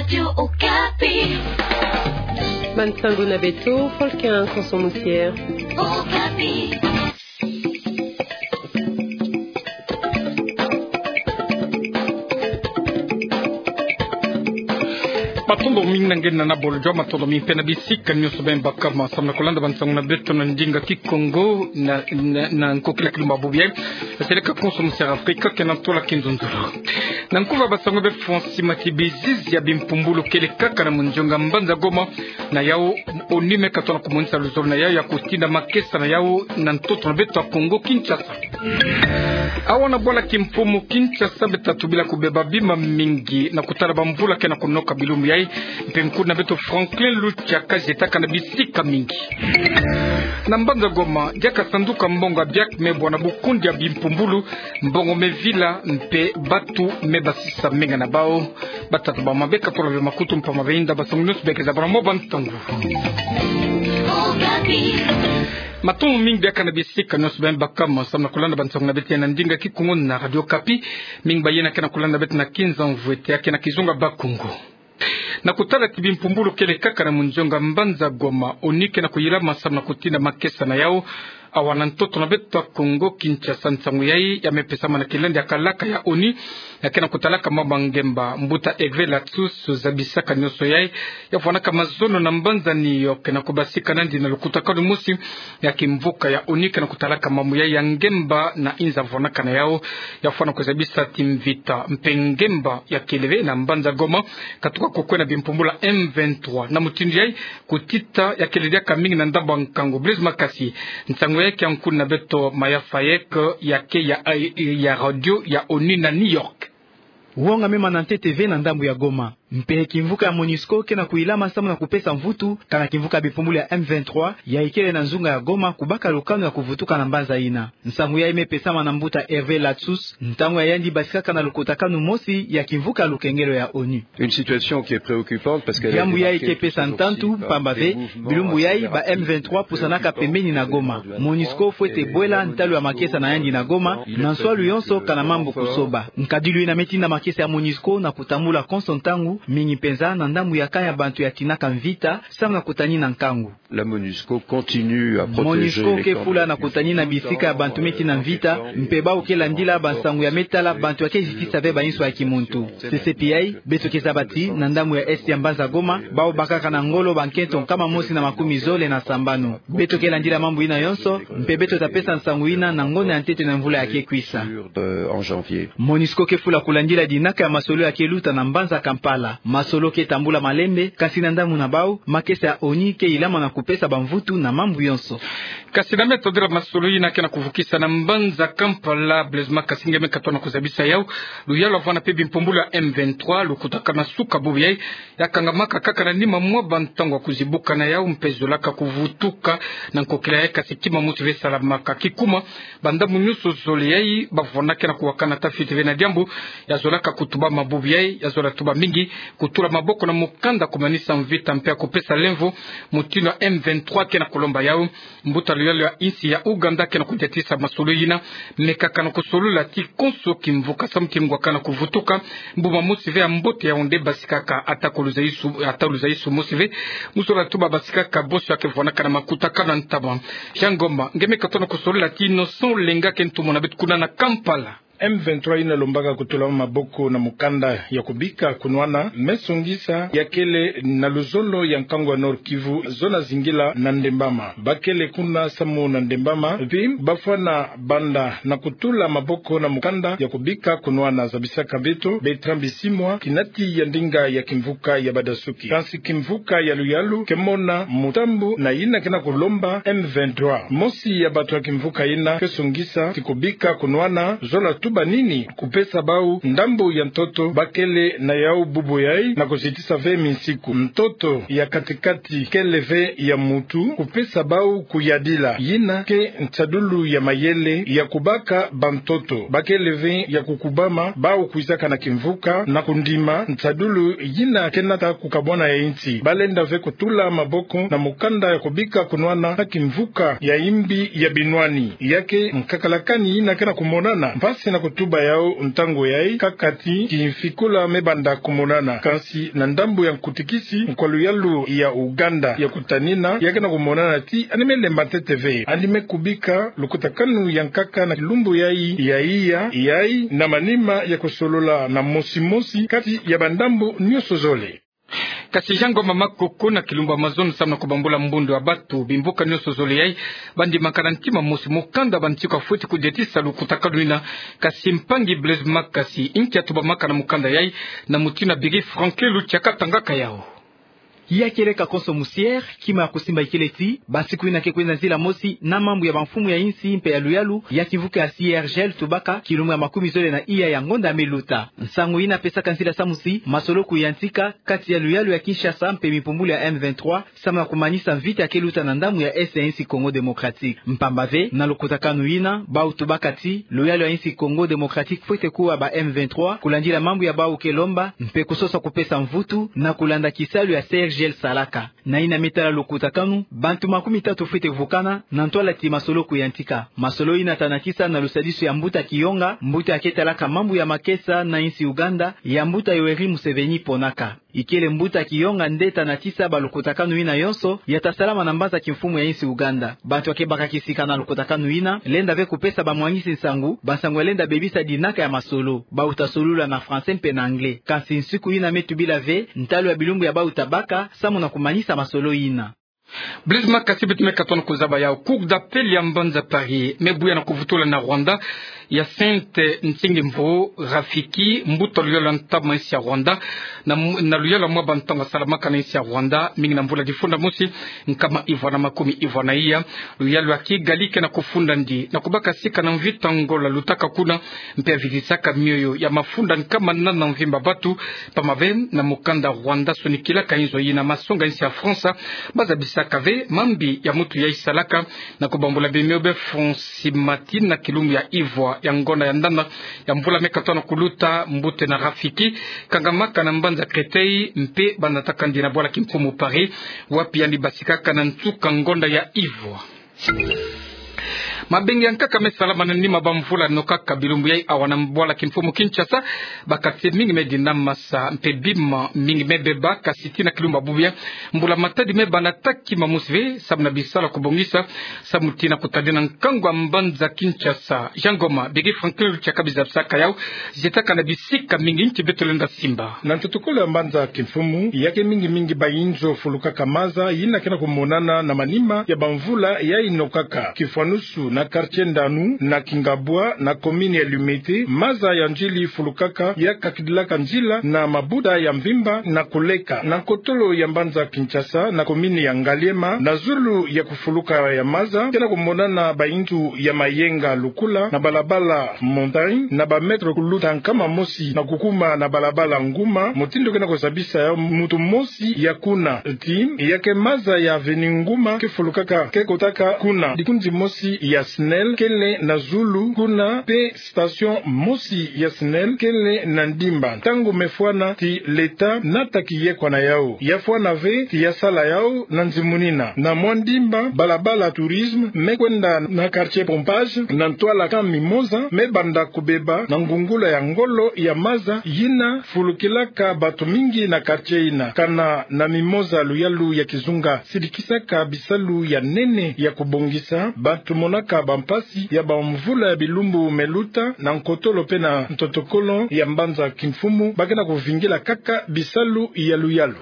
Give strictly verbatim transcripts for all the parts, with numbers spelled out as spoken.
Radio Okapi. Bansangu na beto, Volcan Konso Musier. Okapi. Matondo mingi na nge na bolojo, matondo mingi mpe na bisika nyonso beno baka ma samu na kulanda bansangu na beto na ndinga Kikongo na, na, na nkokila kilumbu bubu yai. Seleka Konso Musier Afrika, kena ntola kinzonzolo. Na nkuba bansangu bê Francis Matibizizi ya bimpumbulu kele kaka na monzonga mbanza Goma, na yau ONU me katona kumonisa luzolo na yau ya kutinda makesa na yau na ntoto na beto ya Kongo Kinshasa. Awa na bwala kimfumu Kinshasa beta tubila kubeba bima mingi na kutala bamvula kena kunoka bilumbu yai, mpe nkutu na beto Franklin Lucha kazetaka na bisika mingi. Na mbanza Goma, diaka sanduka mbongo ya biak me bwana bukundi ya bimpumbulu, mbongo me vila, mpe batu me basisa menga na bau. Batata ba mabeka tolo be makutu mpamba benda bansangu nyonso beke za bana mo bansangu. Matondo mingi diaka na bisika nyonso beno baka ma samu na kulanda bansangu na beto na ndinga Kikongo na Radio Okapi. Mingi ba yena kena kulanda beto na kinza mvwete ya kena kizunga Bakongo. Na kutala ti bimpumbulu kele kaka na monzonga mbanza Goma, ONU kena kuyilama samu na kutinda makesa na yau awa na ntoto na beto ya Kongo Kinshasa. Nsangu yai ya me pesama na kilandi ya kalaka ya ONU ya kena kutalaka mambu ya ngemba, mbuta Hervé Latsous, zabisaka nyonso yai ya vwanaka mazono na mbanza New York na kubasika nandi na lukutakanu mosi ya kimvuka ya ONU kena kutalaka mambu yai ya ngemba na inza vwanaka na yau. Ya fwana kuzabisa ti mvita mpe ngemba ya kele ve na mbanza Goma, katuka kukwenda bimpumbulu ya M vingt-trois. Na mutindu yai, kutita ya kele diaka mingi na ndambu ya nkangu. Blaise Makasi, nsangu yai kia nkutu na beto Maya Fayek, ya ke ya, ya radio ya ONU na New York. Wonga me mana ntete ve na ndambu ya Goma. Mpe kimvuka ya MONUSCO kena kuyilama samu na kupesa mvutu kana kimvuka ya bimpumbulu ya M vingt-trois ya ikele na nzunga ya Goma kubaka lukanu ya kuvutuka na mbanza yina. Nsangu yai me pesama na mbuta Hervé Latsous ntangu ya yandi basikaka na lukutakanu mosi ya kimvuka ya lukengelo ya ONU. Une situation qui est préoccupante parce qu'elle est marquée toujours aussi par des mouvements assez rapides de la part de la population. Diambu yai ke pesa ntantu, mpamba ve bilumbu yai ba M vingt-trois pusanaka pembeni na Goma. MONUSCO fwete bwela ntalu ya makesa na yandi na Goma na nswalu yonso kana mambu kusoba. Nkadilu yina me tinda makesa ya MONUSCO na kutambula konso ntangu, mingi mpenza na ndambu ya camp ya bantu ya tinaka mvita, samu na kutanina nkangu. La MONUSCO continue à protéger les camps de réfugiés. MONUSCO ke fula na kutanina bisika ya bantu me tina mvita, mpe bau ke landila bansangu ya me tala bantu ya ke zitisa ve bainso ya kimuntu. C C P I, beto ke zaba ti na ndambu ya est ya mbanza Goma, bau bakaka na ngolo bankento nkama mosi na makumi zole na sambanu. Beto ke landila mambu yina yonso, mpe beto ta pesa nsangu yina na ngonda ya ntete na mvula ya ke kwisa. Euh, en janvier. MONUSCO ke fula kulandila dinaka ya masolo ya ke luta na mbanza Kampala. Masolo ke tambula malembe, kasi na ndambu na bau, makesa ya ONU ke yilama na kupesa bamvutu na mambu yonso. Kasi na me tondila masolo yina kena kuvukisa na mbanza Kampala, Blaise Makasi, nge me katona kuzabisa yau. Luyalu ya vwanda mpe bimpumbulu ya M vingt-trois, lukutakanu ya suka bubu yai, ya kangamaka kaka na nima mwa bantangu ya kuzibuka na yau mpe zolaka kuvutuka na nkokila yai, kasi kima mosi ve salamaka. Kikuma, bandambu nyonso zole yai, bavwanda kena kuwakana ta fiti ve na diambu ya zolaka kutubama bubu yai, ya zola tuba mingi kutula maboko na mukanda kumanisa mvita mpe ya kupesa lemvo, mutindu ya M vingt-trois kena kulomba yau. Mbuta luyalu ya insi ya Ouganda kena kudiatisa masolo yina, me kakana kusolola ti konso kimvuka samu ti ngwakana kuvutuka, mbuma mosi ve ya mbote ya onde basikaka, ata ko luzaisu, ata luzaisu mosi ve, mu zola tuba basikaka bosi ya ke vwanaka na makutakanu ya ntama. Jean Ngoma, nge me katona kusolola ti Innocent Olenga ke ntumwa na beto kuna na Kampala. M vingt-trois yina lombaka kutula maboko na mukanda ya kubika kunwana, me songisa ya kele na luzolo ya nkangu ya Nord-Kivu, zona zingila na Ndembama. Bakele kuna samu na Ndembama, pi bafwana banda na kutula maboko na mukanda ya kubika kunwana, zabisaka beto Bertrand Bisimwa, kinati ya ndinga ya kimvuka ya Badasuki. Kansi kimvuka ya luyalu ke mona mutambu na yina kena kulomba M vingt-trois. Mosi ya bantu ya kimvuka yina ke songisa ti kubika kunwana, zola tuba nini kupesa bau ndambu ya ntoto bakele na yau bubu yai na kuzitisa ve minsiku. Ntoto ya katikati kele ve ya mutu, kupesa bau kuyadila. Yina ke nsadulu ya mayele ya kubaka bantoto. Bakele ve ya kukubama, bau kwizaka na kimvuka na kundima nsadulu yina kena ta kukabwana ya insi. Balenda ve kutula maboko na mukanda ya kubika kunwana na kimvuka ya imbi ya binwani. Ya ke nkakalakani yina kena kumonana mpasi na Kutuba yau ntangu yayi, kaka ti kimfikula me banda kumonana. Kansi na ndambu ya nkutikisi, nkwa luyalu ya Uganda ya kutanina, ya kena kumonana ti yandi me lemba ntete ve. Yandi me kubika lukutakanu ya nkaka na kilumbu yayi, ya iya, yayi na manima ya kusolola na mosi mosi kati ya bandambu nionso zole. Kasi Jean Ngoma Makoko na kilumbu Amazon samu na kubambula mbundu ya batu, bimvuka nionso zole yayi, bandi makana ntima mosi, mukanda ba nsiku afweti kudiatisa lukutakanu yina. Kasi mpangi Blaise Makasi, nki atubamaka na mukanda yayi, na mutindu Biri Franklin Luchaka tangaka yau. Ya kieleka konso musiere, kima ya kusimba ikele ti, bansiku yina ke kwenda nzila mosi na mambu ya bamfumu ya insi mpe ya luyalu ya kimvuka ya C I R G L tubaka, kilumbu ya makumi zole na iya ya ngonda me luta. Nsangu yina pesaka nzila samu ti masolo kuyantika kati ya luyalu ya Kinshasa mpe bimpumbulu ya M vingt-trois, samu na kumanisa mvita ke luta na ndambu ya Est ya insi Congo Démocratique. Mpamba ve, na lukutakanu yina, bau tubaka ti luyalu ya insi Congo Démocratique fwete kuwa ba M vingt-trois, kulandila mambu ya bau ke lomba, mpe kusosa kupesa mvutu na kulanda kisalu ya C I R G L salaka. Na yina me tala lukutakanu, bantu makumi tatu fwete vukana na ntwala ti masolo kuyantika. Masolo yina tanakisa na lusadisu ya mbuta Kiyonga, mbuta ya ke talaka mambu ya makesa na insi Uganda, ya mbuta Yoweri Museveni ponaka. Ikele mbuta Kiyonga nde tanakisa ba lukutakanu yina yonso ya ta salama na mbanza kimfumu ya insi Uganda. Bantu ya ke baka kisika na lukutakanu yina, lenda ve kupesa bamwangisi nsangu, bansangu ya lenda bebisa dinaka ya masolo. Bau ta solula na français mpe na anglais. Kansi nsiku yina me tubila ve ntalu ya bilumbu ya bau ta baka samu na kumanisa masolo yina. Blaise Makasi, beto me katona kuzaba yau. Cour d'appel ya mbanza Paris me buya na kuvutula na Rwanda, Hyacinthe Nsengimvururu Rafiki, mbuta luyalu ya ntama insi ya Rwanda, na, na luyalu ya mwa bantangu asalamaka na insi ya Rwanda, mingi na mvula difunda mosi, nkama ivwa na makumi ivwa na iya. Luyalu ya Kigali ke na kufunda ndi na kubaka sika na mvita Angola lutaka kuna, mpe ya vilisaka mioyo ya mafunda nkama nana mvimba batu. Pamave na mukanda Rwanda sonikilaka inzo yina, masonga insi ya France bazabisaka ve mambi ya mutu yayi salaka na kubambula bimioyo be France. Simati na kilumbu ya ivwa ya ngonda ya nana ya mvula me katona kuluta, mbuta ena Rafiki kangamaka na mbanza Créteil mpe banataka ndi na bwala kimfumu Paris, wapi yandi basikaka na nsuka ngonda ya ivwa. Mabengi ya nkaka me salama na nima bamvula nokaka bilumbu yayi awa na bwala kimfumu Kinshasa. Ba quartier mingi me dinamasa mpe bima mingi me beba, kasi tii na kilumbu ya bubu ya mbula matadi me banda ta kima mosi ve samu na bisalu ya kubongisa samu tii na kutadina nkangu ya mbanza Kinshasa. Jean Ngoma, Bigi Franklin Luchaka bizabisaka yau, zietaka na bisika mingi. Nki beto lenda simba? Na ntotokolo ya mbanza kimfumu, ya ke mingi mingi ba inzo fulukaka maza yina ke na kumonana na manima ya bamvula yayi nokaka. Kifwanusu na quartier Ndanu, na Kingabwa, na commune ya Limete, maza ya nzili fulukaka ya kakidilaka nzila na mabuta ya mvimba na kuleka. Na nkotolo ya mbanza Kinshasa, na commune ya Ngaliema, na zulu ya kufuluka ya maza, ke na kumonana ba inzo ya mayenga lukula na balabala Montagne, na ba mètre kuluta nkama mosi na kukuma na balabala Nguma, mutindu ke na kuzabisa yau mutu mosi ya kuna. Tii ya ke maza ya avenue Nguma ke fulukaka, ke kotaka kuna. Dikunzi mosi ya SNEL kele na zulu kuna, mpe station mosi ya SNEL kele na ndimba. Ntangu me fwana ti l'État nata kiyekwa na yau. Ya fwana ve ti ya sala yau na nzimunina. Na mwa ndimba, balabala Tourisme me kwenda na quartier Pompage, na ntwala ka mimosa me banda kubeba na ngungula ya ngolo ya maza yina fulukilaka batu mingi na quartier yina. Kana na mimosa luyalu ya kizunga sidikisaka bisalu ya nene ya kubongisa, batu monaka bampasi ya bamvula ya bilumbu me luta na nkotolo mpe na ntotokolo ya mbanza kimfumu, ba ke na kuvingila kaka bisalu ya luyalu.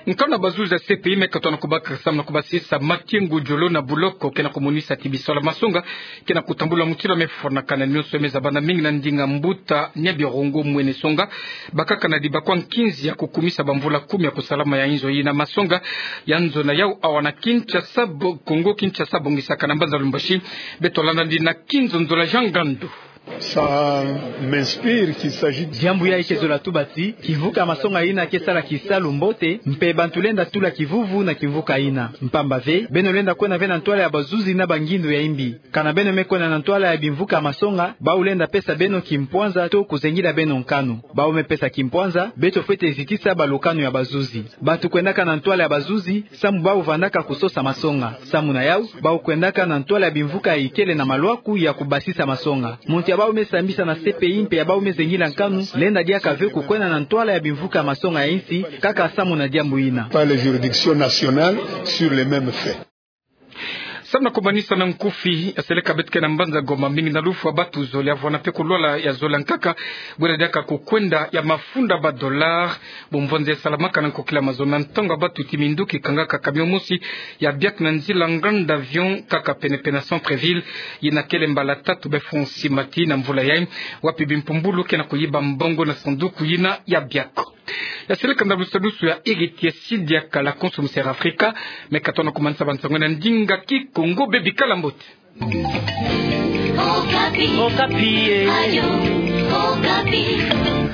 Nkanu ya bazuzi ya C P I me katona kubaka samu na kubasisa Mathieu Ngudjolo na buloko, ke na kumonisa ti bisalu ya masonga ke na kutambula mutindu me fwanakana. Nionso me zabana mingi na ndinga mbuta Niabirongo Mwene Songa, bakaka na dibakwa nkinzi ya kukumisa bamvula kumi ya kusalama ya inzo yina. Masonga ya nzo na yau awa na Kinshasa, bo-, Congo Kinshasa, bongisaka na mbanza Lubumbashi. Beto landa ndi na kinzonzola Jean Ngandu. Ça m'inspire qu'il s'agit de... Diambu yayi ke zola tuba ti kimvuka ya masonga yina ke sala kisalu mbote, mpe bantu lenda tula kivuvu na kimvuka yina. Mpamba ve, beno lenda kwenda ve na ntwala ya bazuzi na bangindu ya imbi. Kana beno me kwenda na ntwala ya bimvuka ya masonga, bau lenda pesa beno kimpwanza to kuzengila beno nkanu. Bau me pesa kimpwanza, beto fwete zitisa balukanu ya bazuzi. Bantu kwendaka na ntwala ya bazuzi samu bau vandaka kusosa masonga. Samu na yau, bau kwendaka na ntwala ya bimvuka ya ikele na malwaku ya kubasisa masonga. Muntu ya Bau me sambisa na C P I mpe ya bau me zengila nkanu, lenda diaka ve kukwenda na ntwala ya bimvuka ya masonga ya insi, kaka samu na diambu ina. Par les juridictions nationales sur les mêmes faits. Samu na kumanisa na nkufi, ya seleka beto ke na mbanza Goma, mbingi na lufwa batu zole ya vwanda mpe kulwala ya zole ya nkaka, bwela diaka kukwenda ya mafunda ba dollar, bumvonze salamaka na nkokila mazono na ntangu batu ti minduki kangaka camion mosi ya biaka na nzila Grand Avion kaka penepene na centre-ville, yina kele mbala tatu be fonsi mati na mvula yai, wapi bimpumbulu ke na kuyiba mbongo na sanduku yina ya biaka. Ya seleka nda lusadusu ya Héritier Sidia Kala, konso Mister Afrika, me katona kumanisa bansango na ndinga Kikongo, bebikala mbote. Okapi. Okapi, eh. Ayo, Okapi.